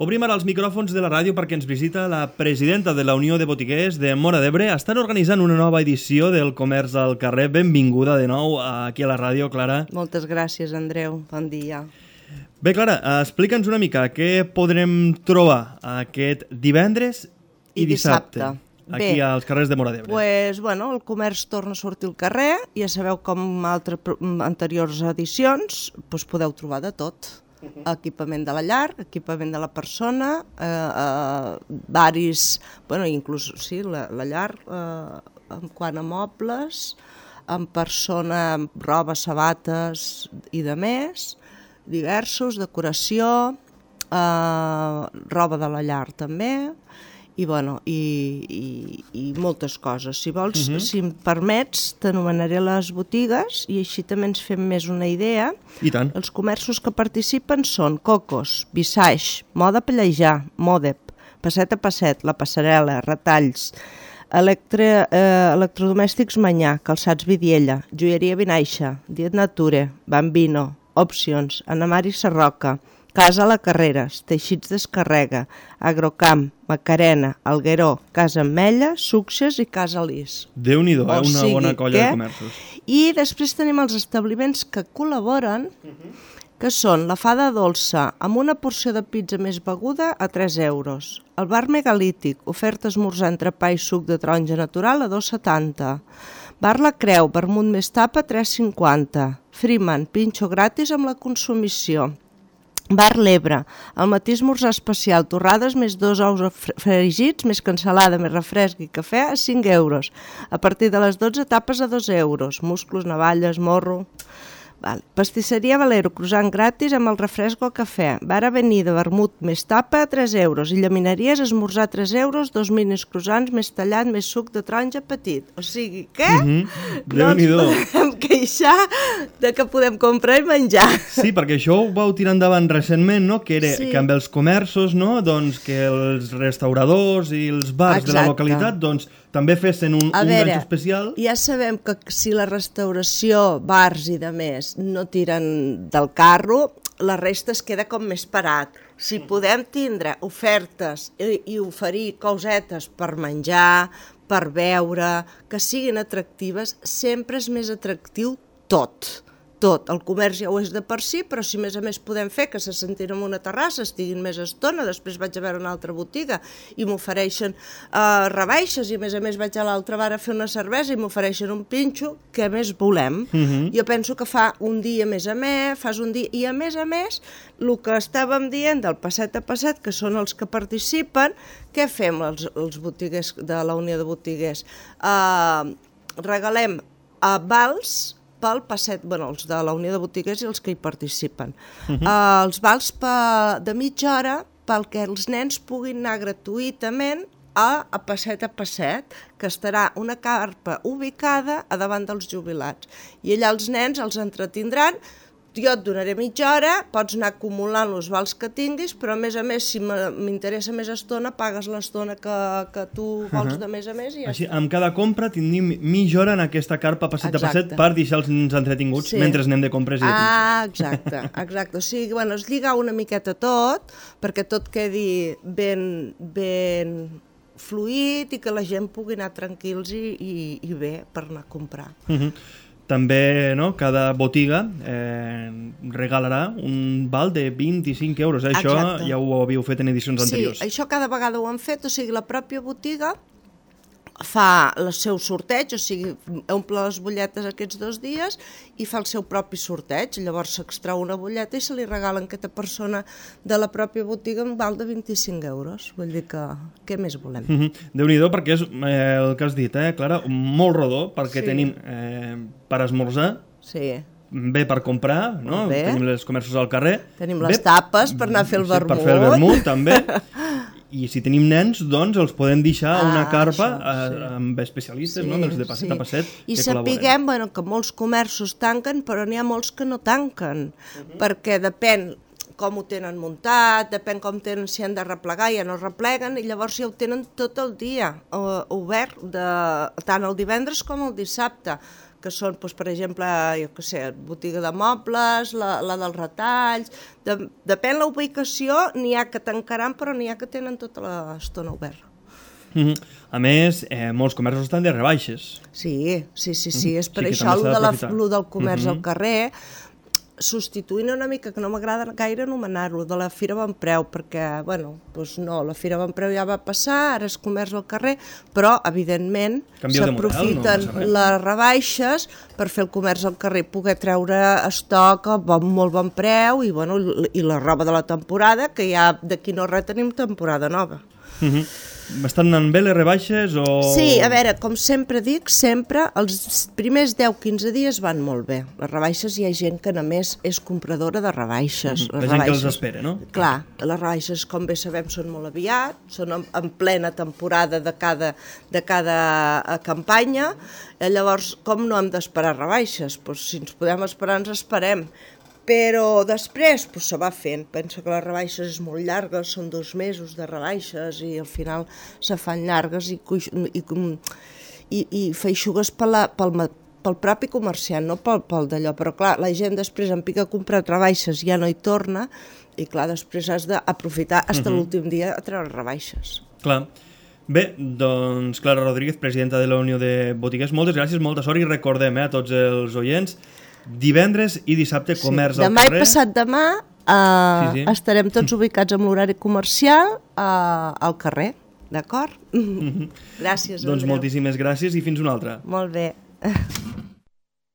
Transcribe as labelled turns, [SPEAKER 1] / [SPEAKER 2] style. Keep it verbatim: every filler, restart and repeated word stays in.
[SPEAKER 1] Obrim ara els micròfons de la ràdio perquè ens visita la presidenta de la Unió de Botiguers de Móra d'Ebre. Estan organitzant una nova edició del Comerç al Carrer. Benvinguda de nou aquí a la ràdio, Clara.
[SPEAKER 2] Moltes gràcies, Andreu. Bon dia.
[SPEAKER 1] Bé, Clara, explica'ns una mica què podrem trobar aquest divendres i,
[SPEAKER 2] I dissabte.
[SPEAKER 1] dissabte aquí Bé, als carrers de Móra d'Ebre.
[SPEAKER 2] Pues, bueno, el comerç torna a sortir al carrer. Ja sabeu com altres anteriors edicions pues, podeu trobar de tot. Equipament de la llar, equipament de la persona, eh, eh, varis, bueno, inclús sí, la, la llar, eh, en quant a mobles, en persona, roba, sabates i de més, diversos, decoració, eh, roba de la llar també, i, bueno, i, i, i moltes coses. Si vols, uh-huh. si em permets, t'anomenaré les botigues i així també ens fem més una idea.
[SPEAKER 1] I tant.
[SPEAKER 2] Els comerços que participen són Cocos, Visage, Moda Pellejar, Modep, Passet a Passet, La Passarel·la, Retalls, Electre, eh, Electrodomèstics Manyà, Calçats Vidiella, Joieria Vinaixa, Diet Nature, Bambino, Opcions, Anamari Sarroca, Casa La Carreres, Teixits Descarrega, Agrocamp, Macarena, Algueró, Casa Ametlla, Succés i Casa Lis.
[SPEAKER 1] Déu-n'hi-do, eh? Una sigui, bona colla que... de comerços.
[SPEAKER 2] I després tenim els establiments que col·laboren, uh-huh. que són la Fada Dolça, amb una porció de pizza més beguda a tres euros. El bar Megalític, oferta esmorzar entrepà i suc de taronja natural a dos setanta. Bar La Creu, vermut més tapa, tres cinquanta. Freeman, pinxo gratis amb la consumició. Bar L'Ebre, al matí esmorzar especial, torrades més dos ous fregits, més cansalada, més refresc i cafè a cinc euros. A partir de les dotze tapes a dos euros, musclos, navalles, morro... Vale. Pastisseria Valero, croissant gratis amb el refresc o cafè. Bar Avenida, vermut més tapa a tres euros. I llamineries, esmorzar tres euros, dos minis croissants més tallat, més suc de taronja petit. O sigui, què?
[SPEAKER 1] Mm-hmm.
[SPEAKER 2] No ens podem queixar de que podem comprar i menjar.
[SPEAKER 1] Sí, perquè això ho vau tirar endavant recentment, no? Que era sí. que amb els comerços, no? Doncs que els restauradors i els bars Exacte. de la localitat, doncs també fessin un, un ganxo especial.
[SPEAKER 2] Ja sabem que si la restauració, bars i de més no tiren del carro, la resta es queda com més parat. Si podem tindre ofertes i, i oferir cosetes per menjar, per beure, que siguin atractives, sempre és més atractiu tot. Tot. El comerç ja ho és de per si, però si a més a més podem fer que se sentin en una terrassa, estiguin més estona, després vaig a veure una altra botiga i m'ofereixen uh, rebaixes i a més a més vaig a l'altra bar a fer una cervesa i m'ofereixen un pinxo, què més volem? Uh-huh. Jo penso que fa un dia més a més, fas un dia, i a més a més, el que estàvem dient del passet a passet, que són els que participen, què fem els, els botiguers de la Unió de Botiguers? Uh, regalem uh, vals pel passet, bueno, els de la Unió de Botiguers i els que hi participen. Uh-huh. Uh, els vals pa, de mitja hora perquè els nens puguin anar gratuïtament a, a passet a passet, que estarà una carpa ubicada a davant dels jubilats. I allà els nens els entretindran. Jo et donaré mitja hora, pots anar acumulant els vals que tinguis, però a més a més, si m'interessa més estona, pagues l'estona que, que tu vols uh-huh. de més a més i ja
[SPEAKER 1] Així,
[SPEAKER 2] està.
[SPEAKER 1] amb cada compra tindríem mitja hora en aquesta carpa passet a passet per deixar els nens entretinguts sí. mentre anem de compres i de pinxos.
[SPEAKER 2] Ah, exacte, exacte. O sigui, bueno, es lliga una miqueta tot, perquè tot quedi ben, ben fluid i que la gent pugui anar tranquils i, i, i bé per anar a comprar.
[SPEAKER 1] Uh-huh. També, no, cada botiga eh, regalarà un val de vint-i-cinc euros. Això Exacte. ja ho havíeu fet en edicions anteriors.
[SPEAKER 2] Sí, això cada vegada ho han fet, o sigui, la pròpia botiga fa el seu sorteig, o sigui, omple les butlletes aquests dos dies i fa el seu propi sorteig. Llavors s'extrau una butlleta i se li regalen a aquesta persona de la pròpia botiga un val de vint-i-cinc euros. Vull dir que què més volem?
[SPEAKER 1] Mm-hmm. Déu-n'hi-do, perquè és eh, el que has dit, eh, Clara, molt rodó, perquè sí. tenim eh, per esmorzar,
[SPEAKER 2] sí.
[SPEAKER 1] bé per comprar, no? Tenim els comerços al carrer.
[SPEAKER 2] Tenim les bé, tapes per anar a fer el vermut.
[SPEAKER 1] Sí, per fer el vermut, també. I si tenim nens, doncs els podem deixar a una carpa ah, això, sí. amb especialistes, sí, no? dels de passet sí. a passet.
[SPEAKER 2] I sapiguem bueno, que molts comerços tanquen, però n'hi ha molts que no tanquen, uh-huh. perquè depèn com ho tenen muntat, depèn com tenen, si han de replegar, ja no repleguen, i llavors ja ho tenen tot el dia uh, obert, de, tant el divendres com el dissabte, que són, doncs, per exemple, jo què sé, botiga de mobles, la, la dels retalls... De, depèn la ubicació, n'hi ha que tancaran, però n'hi ha que tenen tota l'estona oberta.
[SPEAKER 1] Mm-hmm. A més, eh, molts comerços estan de rebaixes.
[SPEAKER 2] Sí, sí, sí, sí.
[SPEAKER 1] Mm-hmm.
[SPEAKER 2] És per
[SPEAKER 1] sí,
[SPEAKER 2] això el de la, del comerç
[SPEAKER 1] mm-hmm.
[SPEAKER 2] al carrer, substituint una mica, que no m'agrada gaire anomenar-lo, de la Fira Bon Preu, perquè, bueno, doncs no, la Fira Bon Preu ja va passar, ara és comerç al carrer, però, evidentment, s'aprofiten no les rebaixes per fer el comerç al carrer, poder treure estoc a bon, molt bon preu i, bueno, i la roba de la temporada, que ja d'aquí no res tenim temporada nova.
[SPEAKER 1] Mm-hmm. Estan anant bé les rebaixes o...?
[SPEAKER 2] Sí, a veure, com sempre dic, sempre els primers deu quinze dies van molt bé. Les rebaixes hi ha gent que només és compradora de rebaixes.
[SPEAKER 1] Mm-hmm. La gent rebaixes, que els espera, no?
[SPEAKER 2] Clar, les rebaixes, com bé sabem, són molt aviat, són en, en plena temporada de cada, de cada campanya, eh, llavors, com no hem d'esperar rebaixes? Pues, si ens podem esperar, ens esperem. Però després pues, se va fent. Penso que les rebaixes és molt llargues, són dos mesos de rebaixes i al final se fan llargues i, i, i, i feixugues pel, pel, pel propi comerciant, no pel, pel d'allò. Però clar, la gent després en pica a comprar rebaixes, ja no hi torna i clar, després has d'aprofitar fins uh-huh. l'últim dia a treure rebaixes.
[SPEAKER 1] Clar. Bé, doncs Clara Rodríguez, presidenta de la Unió de Botiguers, moltes gràcies, molta sort i recordem eh, a tots els oients, divendres i dissabte comerç sí. al
[SPEAKER 2] demà
[SPEAKER 1] carrer.
[SPEAKER 2] Demà i passat demà eh, sí, sí. estarem tots ubicats amb l'horari comercial eh, al carrer, d'acord? Mm-hmm. Gràcies, Andreu.
[SPEAKER 1] Doncs moltíssimes gràcies i fins una altra.
[SPEAKER 2] Molt bé.